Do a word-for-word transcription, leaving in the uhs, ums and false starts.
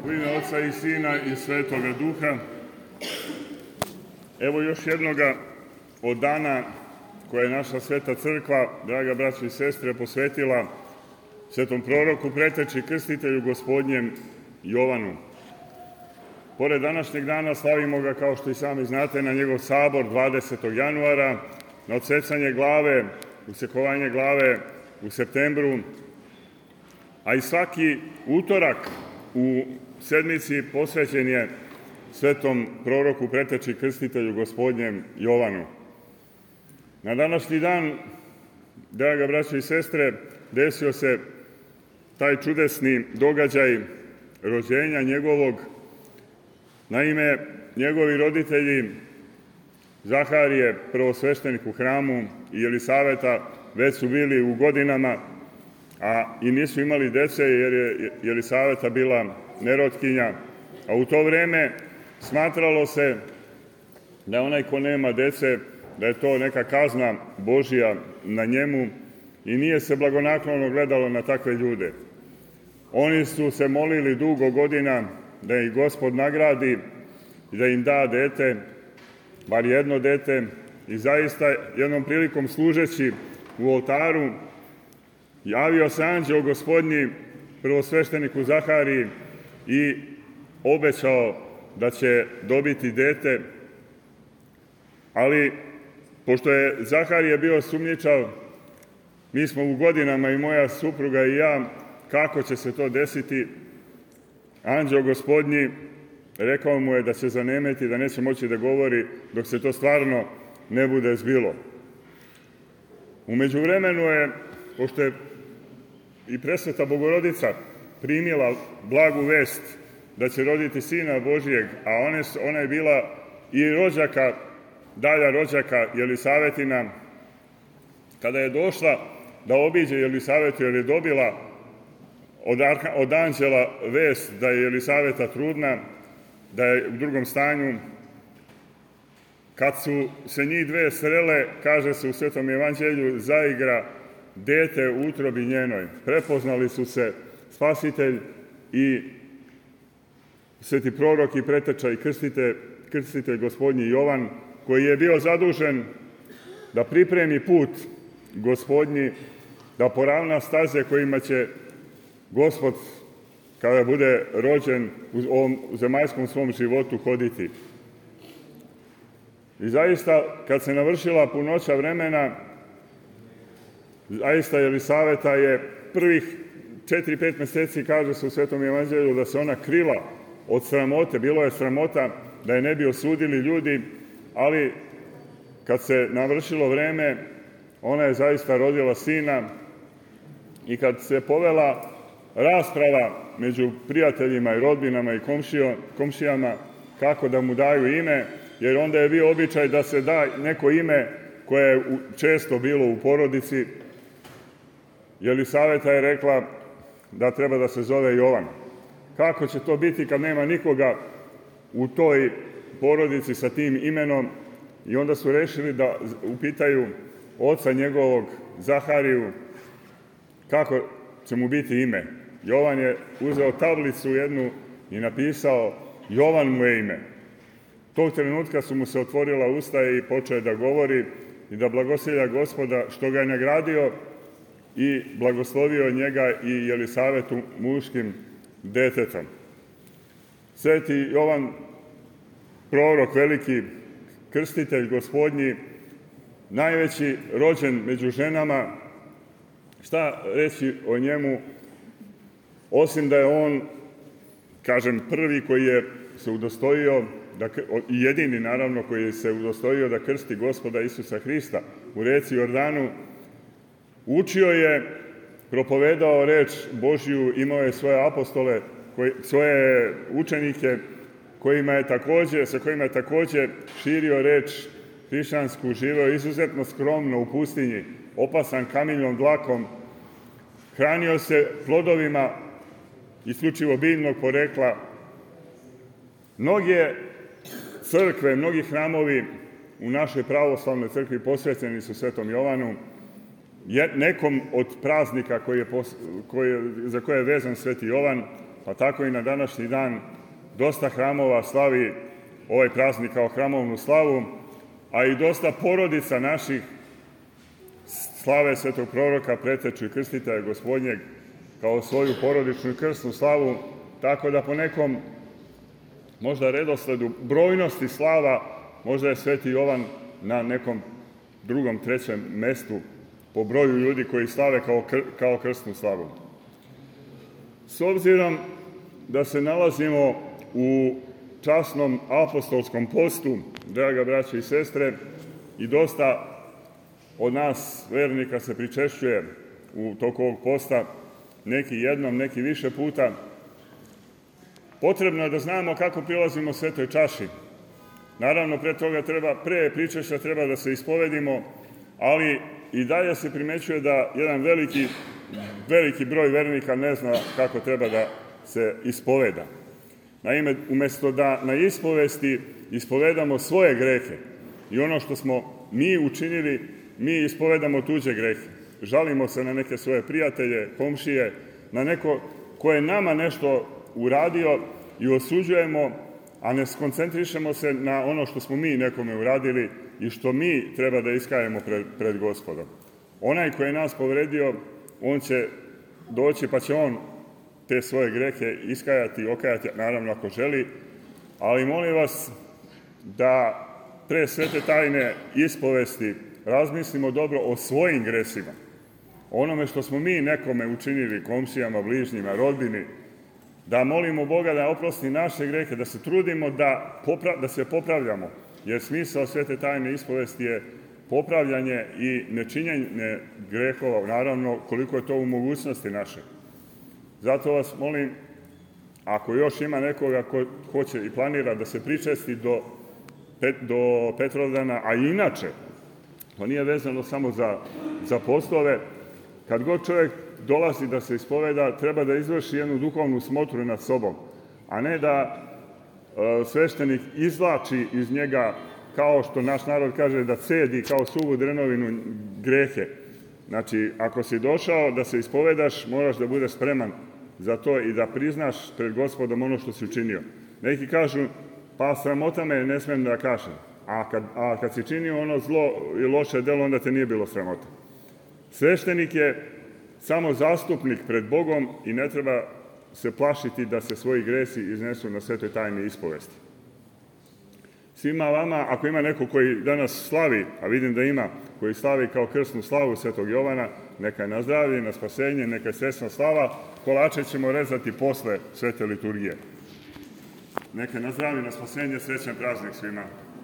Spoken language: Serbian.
U ime Oca i Sina i Svetoga Duha. Evo još jednoga od dana koje je naša Sveta Crkva, draga braćo i sestre, posvetila svetom proroku, preteči krstitelju Gospodnjem Jovanu. Pored današnjeg dana slavimo ga, kao što i sami znate, na njegov sabor dvadesetog januara, na odsecanje glave, usekovanje glave u septembru, a i svaki utorak u sedmici posvećen je svetom proroku, preteči krstitelju Gospodnjem Jovanu. Na današnji dan, draga braćo i sestre, desio se taj čudesni događaj rođenja njegovog. Naime, njegovi roditelji, Zaharije, prvosveštenik u hramu, i Jelisaveta već su bili u godinama, a i nisu imali dece jer je Jelisaveta bila nerotkinja. A u to vreme smatralo se da onaj ko nema dece, da je to neka kazna Božja na njemu i nije se blagonaklono gledalo na takve ljude. Oni su se molili dugo godina da ih Gospod nagradi i da im da dete, bar jedno dete, i zaista jednom prilikom služeći u oltaru javio se anđeo Gospodnji prvosvešteniku Zahariji i obećao da će dobiti dete, ali pošto je Zaharije bio sumnjičav, mi smo u godinama, i moja supruga i ja, kako će se to desiti. Anđeo Gospodnji rekao mu je da će zanemeti, da neće moći da govori dok se to stvarno ne bude zbilo. U međuvremenu je, pošto je i presveta Bogorodica primila blagu vest da će roditi Sina Božijeg, a one, ona je bila i rođaka, dalja rođaka Jelisavetina, kada je došla da obiđe Jelisavetu jer je dobila od, od anđela vest da je Jelisaveta trudna, da je u drugom stanju, kad su se njih dve srele, kaže se u Svetom evanđelju, zaigra dete u utrobi njenoj. Prepoznali su se Spasitelj i sveti prorok i preteča i krstitelj, krstitelj Gospodnji Jovan, koji je bio zadužen da pripremi put Gospodnji, da poravna staze kojima će Gospod, kada bude rođen, u ovom zemaljskom svom životu hoditi. I zaista, kad se navršila punoća vremena, zaista Jelisaveta je prvih četiri, pet meseci, kaže se u Svetom evanđelju, da se ona krila od sramote. Bilo je sramota da je ne bi osudili ljudi, ali kad se navršilo vreme, ona je zaista rodila sina, i kad se povela rasprava među prijateljima i rodbinama i komšijama kako da mu daju ime, jer onda je bio običaj da se da neko ime koje je često bilo u porodici, Jelisaveta je rekla da treba da se zove Jovan. Kako će to biti kad nema nikoga u toj porodici sa tim imenom? I onda su rešili da upitaju oca njegovog, Zahariju, kako će mu biti ime. Jovan je uzeo tablicu jednu i napisao Jovan mu je ime. Tog trenutka su mu se otvorila usta i počeo da govori i da blagoslivlja Gospoda što ga je nagradio i blagoslovio njega i Jelisavetu muškim detetom. Sveti Jovan, prorok, veliki krstitelj Gospodnji, najveći rođen među ženama, šta reći o njemu, osim da je on, kažem, prvi koji je se udostojio, da, i jedini naravno koji se udostojio da krsti Gospoda Isusa Hrista u reci Jordanu. Učio je, propovedao reč Božju, imao je svoje apostole, koji, svoje učenike kojima je takođe, sa kojima je takođe širio reč hrišćansku, živeo izuzetno skromno u pustinji, opasan kamiljnom dlakom, hranio se plodovima isključivo biljnog porekla. Mnoge crkve, mnogi hramovi u našoj pravoslavnoj crkvi posvećeni su Svetom Jovanu, nekom od praznika koji je, koji je, za koje je vezan Sveti Jovan, pa tako i na današnji dan dosta hramova slavi ovaj praznik kao hramovnu slavu, a i dosta porodica naših slave svetog proroka, preteču i krstitelja Gospodnjeg kao svoju porodičnu i krsnu slavu, tako da po nekom možda redosledu brojnosti slava možda je Sveti Jovan na nekom drugom, trećem mestu po broju ljudi koji slave kao, kr kao krsnu slavu. S obzirom da se nalazimo u časnom apostolskom postu, draga braće i sestre, i dosta od nas vernika se pričešćuje u toku ovog posta, neki jednom, neki više puta, potrebno je da znamo kako prilazimo svetoj čaši. Naravno, pre toga treba, pre pričešća treba da se ispovedimo, ali i dalje se primećuje da jedan veliki, veliki broj vernika ne zna kako treba da se ispoveda. Naime, umesto da na ispovesti ispovedamo svoje grehe i ono što smo mi učinili, mi ispovedamo tuđe grehe. Žalimo se na neke svoje prijatelje, komšije, na neko ko je nama nešto uradio i osuđujemo, a ne skoncentrišemo se na ono što smo mi nekome uradili i što mi treba da iskajemo pred, pred Gospodom. Onaj koji je nas povredio, on će doći pa će on te svoje grehe iskajati, okajati, naravno ako želi, ali molim vas da pre svete tajne ispovesti razmislimo dobro o svojim gresima, onome što smo mi nekome učinili, komšijama, bližnjima, rodbini, da molimo Boga da oprosti naše grehe, da se trudimo da, popra da se popravljamo, jer smisao svete tajne ispovesti je popravljanje i nečinjenje grehova, naravno koliko je to u mogućnosti naše. Zato vas molim, ako još ima nekoga ko hoće i planira da se pričesti do, pet, do Petrovdana, a inače, to nije vezano samo za, za postove, kad god čovjek dolazi da se ispoveda, treba da izvrši jednu duhovnu smotru nad sobom, a ne da e, sveštenik izvlači iz njega, kao što naš narod kaže, da cedi kao suvu drenovinu grehe. Znači, ako si došao da se ispovedaš, moraš da budeš spreman za to i da priznaš pred Gospodom ono što si učinio. Neki kažu, pa sramota me, ne smijem da kažem. A kad, a kad si činio ono zlo i loše delo, onda te nije bilo sramota. Sveštenik je samo zastupnik pred Bogom i ne treba se plašiti da se svoji gresi iznesu na svetoj tajni ispovesti. Svima vama, ako ima neko koji danas slavi, a vidim da ima, koji slavi kao krsnu slavu svetog Jovana, neka je na zdravlje, na spasenje, neka je srećna slava, kolače ćemo rezati posle svete liturgije. Neka je na zdravlje, na spasenje, srećan praznik svima.